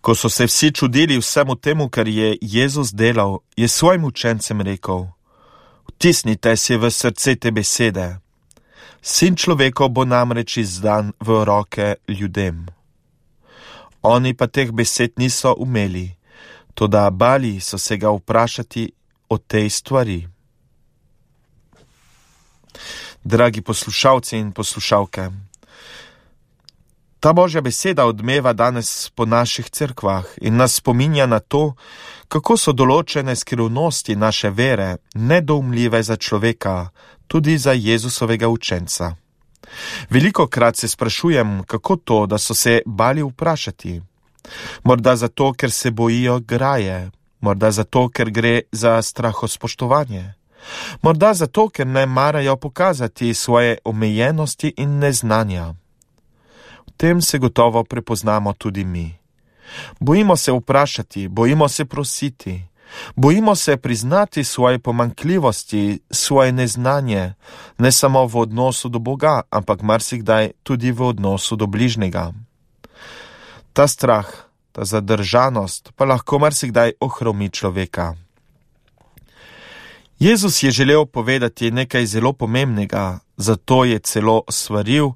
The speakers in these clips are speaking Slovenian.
Ko so se vsi čudili vsemu temu, kar je Jezus delal, je svojim učencem rekel: Vtisnite si v srce te besede. Sin človekov bo namreč izdan v roke ljudem. Oni pa teh besed niso umeli, toda bali so se ga vprašati o tej stvari. Dragi poslušalci in poslušalke, ta Božja beseda odmeva danes po naših cerkvah in nas spominja na to, kako so določene skrivnosti naše vere nedoumljive za človeka, tudi za Jezusovega učenca. Velikokrat se sprašujem, kako to, da so se bali vprašati. Morda zato, ker se bojijo graje, morda zato, ker gre za strahospoštovanje, morda zato, ker ne marajo pokazati svoje omejenosti in neznanja. V tem se gotovo prepoznamo tudi mi. Bojimo se vprašati, bojimo se prositi, bojimo se priznati svoje pomanjkljivosti, svoje neznanje, ne samo v odnosu do Boga, ampak marsikdaj tudi v odnosu do bližnjega. Ta strah, ta zadržanost pa lahko marsikdaj ohromi človeka. Jezus je želel povedati nekaj zelo pomembnega, zato je celo svaril: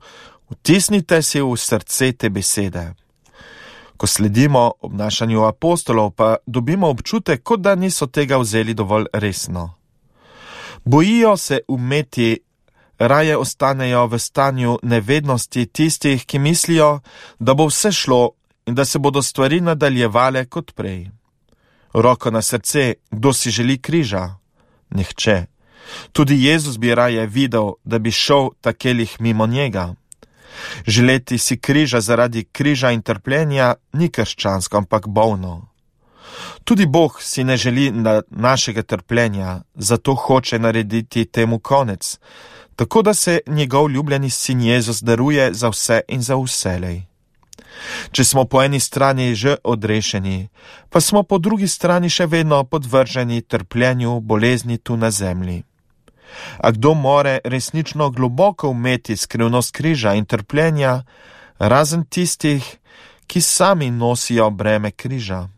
Vtisnite si v srce te besede. Ko sledimo obnašanju apostolov, pa dobimo občutek, kot da niso tega vzeli dovolj resno. Bojijo se umeti, raje ostanejo v stanju nevednosti tistih, ki mislijo, da bo vse šlo in da se bodo stvari nadaljevale kot prej. Roko na srce, kdo si želi križa? Nihče. Tudi Jezus bi raje videl, da bi šel takelih mimo njega. Želeti si križa zaradi križa in trpljenja ni krščansko, ampak bolno. Tudi Bog si ne želi našega trpljenja, zato hoče narediti temu konec, tako da se njegov ljubljeni sin Jezus daruje za vse in za vselej. Če smo po eni strani že odrešeni, pa smo po drugi strani še vedno podvrženi trpljenju, bolezni tu na zemlji. A kdo more resnično globoko umeti skrivnost križa in trpljenja, razen tistih, ki sami nosijo breme križa?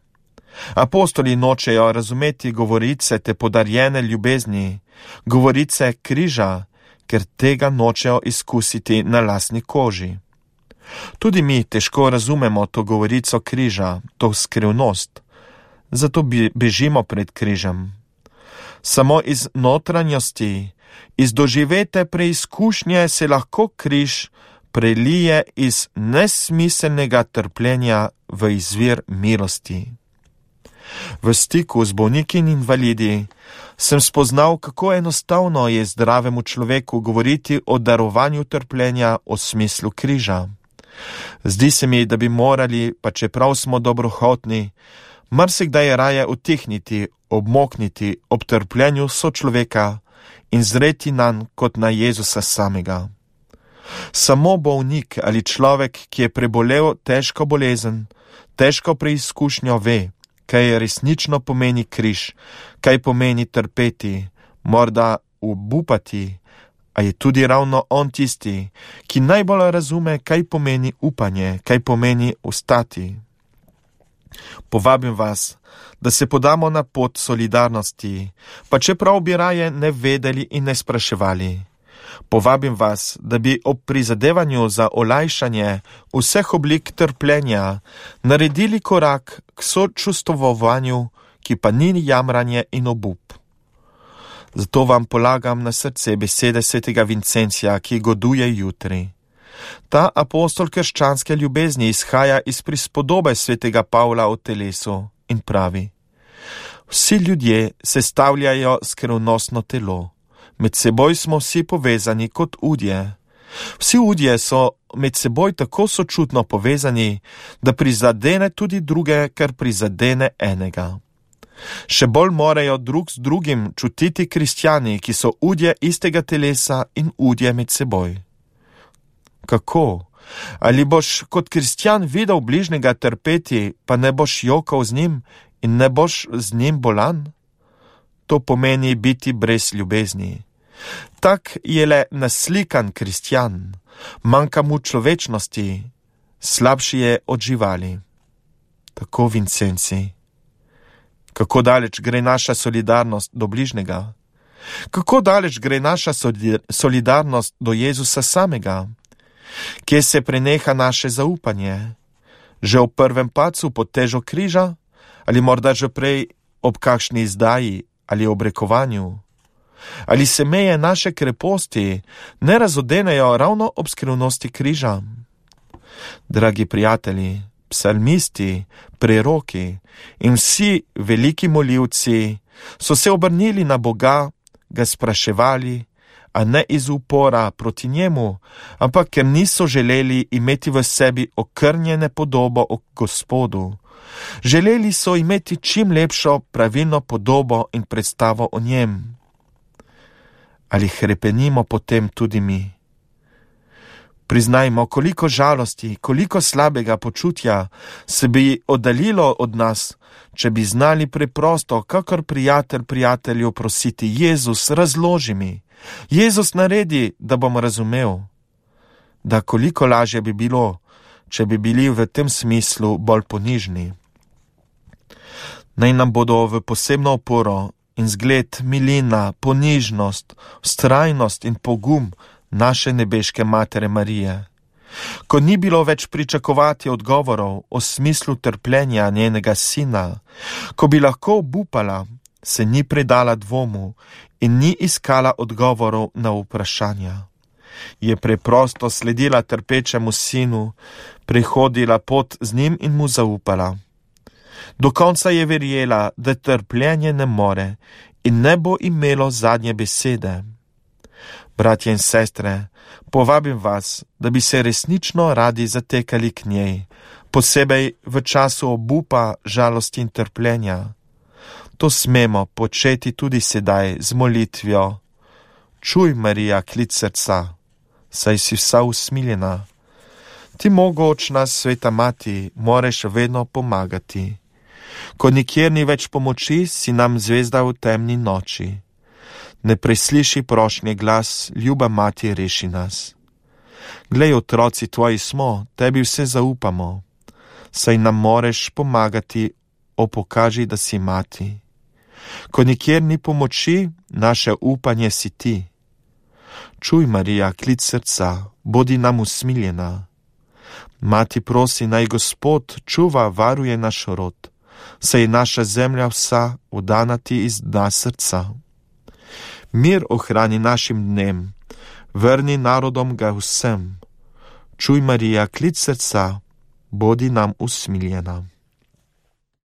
Apostoli nočejo razumeti govorice te podarjene ljubezni, govorice križa, ker tega nočejo izkusiti na lastni koži. Tudi mi težko razumemo to govorico križa, to skrivnost, zato bežimo pred križem. Samo iz notranjosti, iz doživete preizkušnje se lahko križ prelije iz nesmiselnega trpljenja v izvir milosti. V stiku z bolniki in invalidi sem spoznal, kako enostavno je zdravemu človeku govoriti o darovanju trpljenja, o smislu križa. Zdi se mi, da bi morali, pa čeprav smo dobrohotni, marsikdaj raje utihniti, obmokniti ob trpljenju sočloveka in zreti nanj kot na Jezusa samega. Samo bolnik ali človek, ki je prebolel težko bolezen, težko preizkušnjo, ve, kaj resnično pomeni križ, kaj pomeni trpeti, morda obupati, a je tudi ravno on tisti, ki najbolj razume, kaj pomeni upanje, kaj pomeni ostati. Povabim vas, da se podamo na pot solidarnosti, pa čeprav bi raje ne vedeli in ne spraševali. Povabim vas, da bi ob prizadevanju za olajšanje vseh oblik trpljenja naredili korak k sočustvovanju, ki pa ni jamranje in obup. Zato vam polagam na srce besede svetega Vincencija, ki goduje jutri. Ta apostol krščanske ljubezni izhaja iz prispodobe svetega Pavla o telesu in pravi: Vsi ljudje sestavljajo skrivnostno telo. Med seboj smo vsi povezani kot udje. Vsi udje so med seboj tako sočutno povezani, da prizadene tudi druge, kar prizadene enega. Še bolj morajo drug z drugim čutiti kristjani, ki so udje istega telesa in udje med seboj. Kako? Ali boš kot kristjan videl bližnjega trpeti, pa ne boš jokal z njim in ne boš z njim bolan? To pomeni biti brez ljubezni. Tak je le naslikan kristjan, manjka mu človečnosti, slabši je od živali. Tako, Vincenci, kako daleč gre naša solidarnost do bližnjega? Kako daleč gre naša solidarnost do Jezusa samega? Kje se preneha naše zaupanje? Že ob prvem padcu pod težo križa? Ali morda že prej ob kakšni izdaji ali obrekovanju? Ali se meje naše kreposti ne razodenejo ravno ob skrivnosti križa? Dragi prijatelji, psalmisti, preroki in vsi veliki molilci so se obrnili na Boga, ga spraševali, a ne iz upora proti njemu, ampak ker niso želeli imeti v sebi okrnjene podobo o Gospodu. Želeli so imeti čim lepšo, pravilno podobo in predstavo o njem. Ali hrepenimo potem tudi mi? Priznajmo, koliko žalosti, koliko slabega počutja se bi oddaljilo od nas, če bi znali preprosto, kakor prijatelj prijatelju prositi: Jezus, razloži mi, Jezus, naredi, da bom razumel. Da koliko lažje bi bilo, če bi bili v tem smislu bolj ponižni. Naj nam bodo v posebno oporo in zgled milina, ponižnost, vztrajnost in pogum naše nebeške Matere Marije. Ko ni bilo več pričakovati odgovorov o smislu trpljenja njenega sina, ko bi lahko obupala, se ni predala dvomu in ni iskala odgovorov na vprašanja. Je preprosto sledila trpečemu sinu, prehodila pot z njim in mu zaupala. Do konca je verjela, da trpljenje ne more in ne bo imelo zadnje besede. Bratje in sestre, povabim vas, da bi se resnično radi zatekali k njej, posebej v času obupa, žalosti in trpljenja. To smemo početi tudi sedaj z molitvijo: Čuj, Marija, klic srca, saj si vsa usmiljena. Ti mogočna sveta mati, moreš vedno pomagati. Ko nikjer ni več pomoči, si nam zvezda v temni noči. Ne presliši prošnje glas, ljuba mati, reši nas. Glej, otroci tvoji smo, tebi vse zaupamo, saj nam moreš pomagati, pokaži, da si mati. Ko nikjer ni pomoči, naše upanje si ti. Čuj, Marija, klic srca, bodi nam usmiljena. Mati prosi, naj Gospod čuva, varuje naš rod, saj je naša zemlja vsa vdana ti iz dna srca. Mir ohrani našim dnem, vrni narodom ga vsem. Čuj, Marija, klic srca, bodi nam usmiljena.